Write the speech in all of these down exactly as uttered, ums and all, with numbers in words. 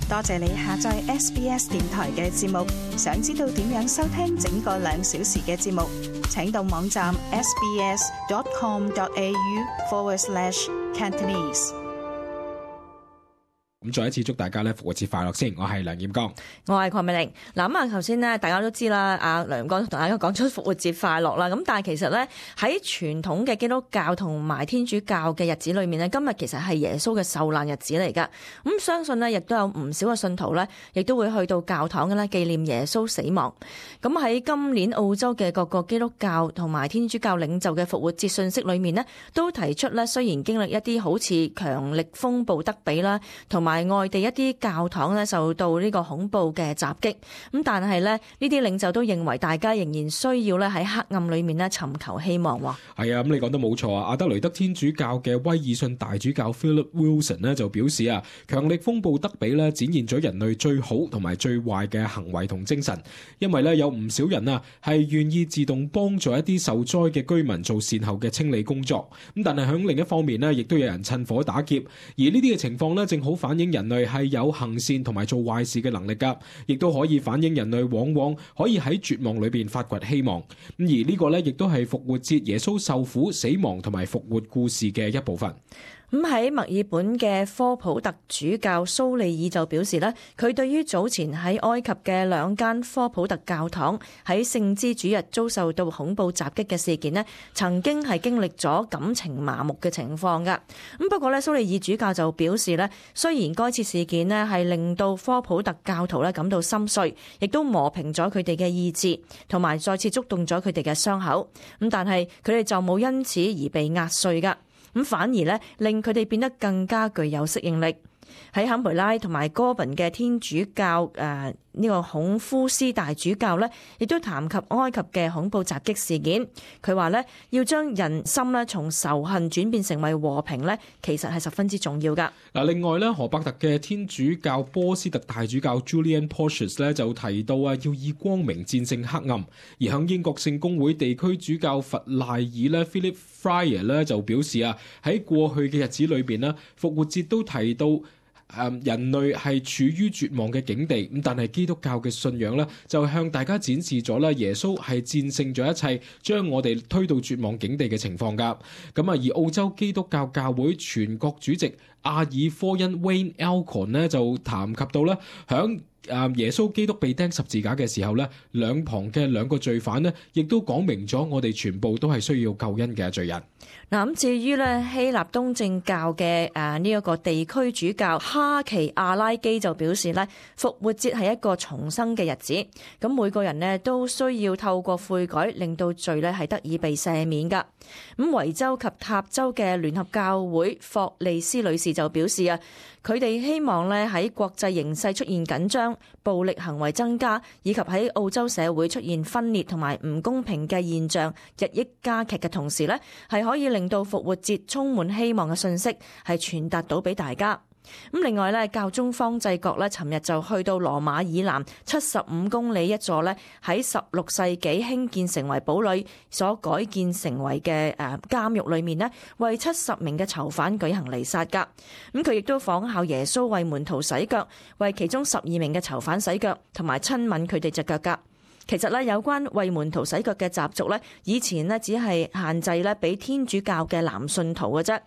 多謝你下載 S B S 電台嘅節目。想知道點樣收聽整個兩小時嘅節目，請到網站 sbs.com.au forward slash Cantonese。咁再一次祝大家咧復活節快樂先，我係梁艷剛，我係鄺美玲。嗱咁啊，頭先咧大家都知啦，阿梁剛同大家講出復活節快樂啦。咁但係其實咧喺傳統嘅基督教同埋天主教嘅日子裏面咧，今日其實係耶穌嘅受難日子嚟噶。咁相信咧亦都有唔少嘅信徒咧，亦都會去到教堂嘅咧紀念耶穌死亡。咁喺今年澳洲嘅各個基督教同埋天主教領袖嘅復活節信息裏面咧，都提出咧雖然經歷一啲好似強力風暴德比啦，同埋外地一啲教堂咧受到呢個恐怖嘅襲擊，咁但係咧呢啲領袖都認為大家仍然需要咧喺黑暗裏面咧尋求希望。係啊，咁你講得冇錯啊！阿德雷德天主教嘅威爾遜大主教 Philip Wilson 咧就表示啊，強力風暴德比咧展現咗人類最好同埋最壞嘅行為同精神，因為咧有唔少人啊係願意自動幫助一啲受災嘅居民做善後嘅清理工作，咁但係響另一方面咧，亦都有人趁火打劫，而呢啲嘅情況咧正好反映人類係有行善同埋做壞事嘅能力噶，亦都可以反映人類往往可以喺絕望裏邊發掘希望。咁而呢個咧，亦都係復活節耶穌受苦、死亡同埋復活故事嘅一部分。咁喺墨爾本嘅科普特主教蘇利爾就表示咧，佢對於早前喺埃及嘅兩間科普特教堂喺聖枝主日遭受到恐怖襲擊嘅事件咧，曾經係經歷咗感情麻木嘅情況噶。咁不過咧，蘇利爾主教就表示咧，雖然該次事件咧係令到科普特教徒咧感到心碎，亦都磨平咗佢哋嘅意志，同埋再次觸動咗佢哋嘅傷口。咁但係佢哋就冇因此而被壓碎噶。咁反而咧，令佢哋變得更加具有適應力。喺坎培拉同埋哥本嘅天主教誒呢、呃這個孔夫斯大主教咧，亦都談及埃及嘅恐怖襲擊事件。佢話咧，要將人心咧從仇恨轉變成為和平咧，其實係十分之重要噶。嗱，另外咧，荷伯特嘅天主教波斯特大主教 Julian Porteous 咧就提到啊，要以光明戰勝黑暗。而響英國聖公會地區主教弗賴爾咧 Philip Fryer 咧就表示啊，喺過去嘅日子裏邊咧，復活節都提到。誒人類係處於絕望嘅境地，咁但係基督教嘅信仰咧，就向大家展示咗咧，耶穌係戰勝咗一切，將我哋推到絕望境地嘅情況㗎。咁啊，而澳洲基督教教會全國主席阿爾科恩 Wayne Alcorn 咧就談及到咧，響誒耶穌基督被釘十字架嘅時候咧，兩旁嘅兩個罪犯咧，亦都講明咗我哋全部都係需要救恩嘅罪人。嗱，咁至於咧希臘東正教嘅誒呢一個地區主教哈奇阿拉基就表示咧，復活節係一個重生嘅日子，咁每個人咧都需要透過悔改，令到罪咧係得以被赦免噶。咁維州及塔州嘅聯合教會霍利斯女士就表示啊，佢哋希望咧喺國際形勢出現緊張、暴力行為增加，以及喺澳洲社會出現分裂同埋唔公平嘅現象日益加劇嘅同時咧，係可以令到復活節充滿希望嘅信息係傳達到俾大家。咁另外咧，教宗方濟各咧，尋日就去到羅馬以南七十五公里一座咧喺十六世紀興建成為堡壘所改建成為嘅誒監獄裏面咧，為七十名嘅囚犯舉行彌撒噶。咁佢亦都仿效耶穌為門徒洗腳，為其中十二名嘅囚犯洗腳，同埋親吻佢哋隻腳噶。其實咧，有關為門徒洗腳嘅習俗咧，以前咧只係限制咧俾天主教嘅男信徒嘅啫。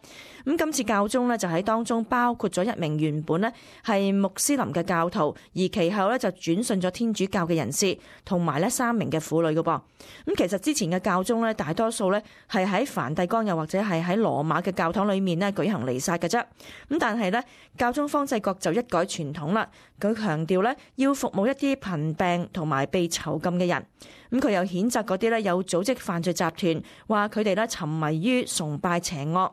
咁今次教宗咧就喺當中包括咗一名原本咧係穆斯林嘅教徒，而其後咧就轉信咗天主教嘅人士，同埋咧三名嘅婦女嘅噃。咁其實之前嘅教宗咧，大多數咧係喺梵蒂岡又或者係喺羅馬嘅教堂裏面咧舉行彌撒嘅啫。咁但係咧，教宗方濟各就一改傳統啦，佢強調咧要服務一啲貧病同埋被囚禁嘅人。咁佢又譴責嗰啲咧有組織犯罪集團，話佢哋咧沉迷於崇拜邪惡，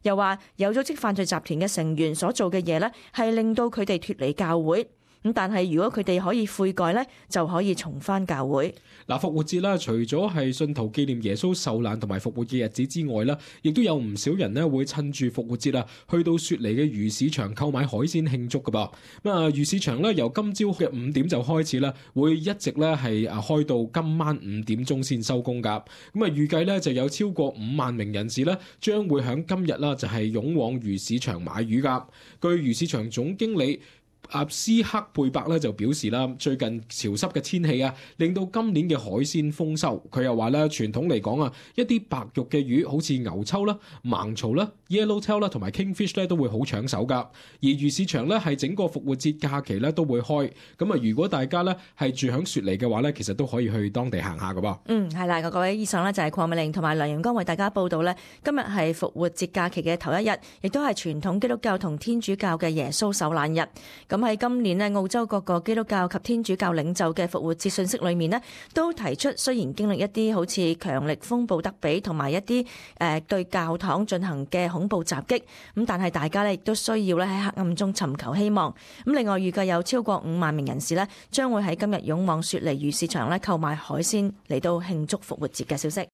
又話有組織犯罪集團嘅成員所做嘅嘢咧係令到佢哋脫離教會。咁但係如果佢哋可以悔改咧，就可以重返教會。嗱，復活節啦，除咗係信徒紀念耶穌受難同埋復活嘅日子之外啦，亦都有唔少人咧會趁住復活節啊，去到雪梨嘅魚市場購買海鮮慶祝噶噃。咁啊，魚市場咧由今朝嘅五點就開始啦，會一直咧係啊開到今晚五點鐘先收工噶。咁啊，預計咧就有超過五萬名人士咧將會響今日啦就係湧往魚市場買魚噶。據魚市場總經理阿斯克貝伯咧就表示啦，最近潮濕嘅天氣啊，令到今年嘅海鮮豐收。佢又話咧，傳統嚟講啊，一啲白肉嘅魚，好似牛秋啦、盲槽啦、yellowtail 啦同埋 kingfish 咧，都會好搶手噶。而魚市場咧係整個復活節假期咧都會開。咁啊，如果大家咧係住響雪梨嘅話咧，其實都可以去當地行下噶噃。嗯，係啦，各位，以上咧就係鄺美玲同埋梁陽光為大家報道咧。今日係復活節假期嘅頭一日，亦都係傳統基督教同天主教嘅耶穌受難日。咁喺今年呢，澳洲各個基督教及天主教領袖嘅復活節信息裏面呢，都提出雖然經歷一啲好似強力風暴德比同埋一啲誒對教堂進行嘅恐怖襲擊，咁但係大家呢亦都需要咧喺黑暗中尋求希望。咁另外預計有超過五萬名人士呢，將會喺今日湧往雪梨魚市場咧購買海鮮嚟到慶祝復活節嘅消息。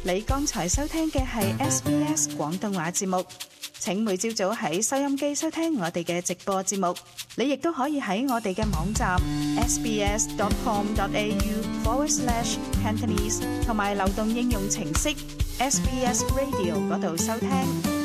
你剛才收聽嘅係 S B S 廣東話節目。請每朝早喺收音機收聽我哋嘅直播節目。你亦都可以喺我哋嘅網站 sbs dot com dot a u forward slash cantonese 同埋流動應用程式 S B S Radio 嗰度收聽。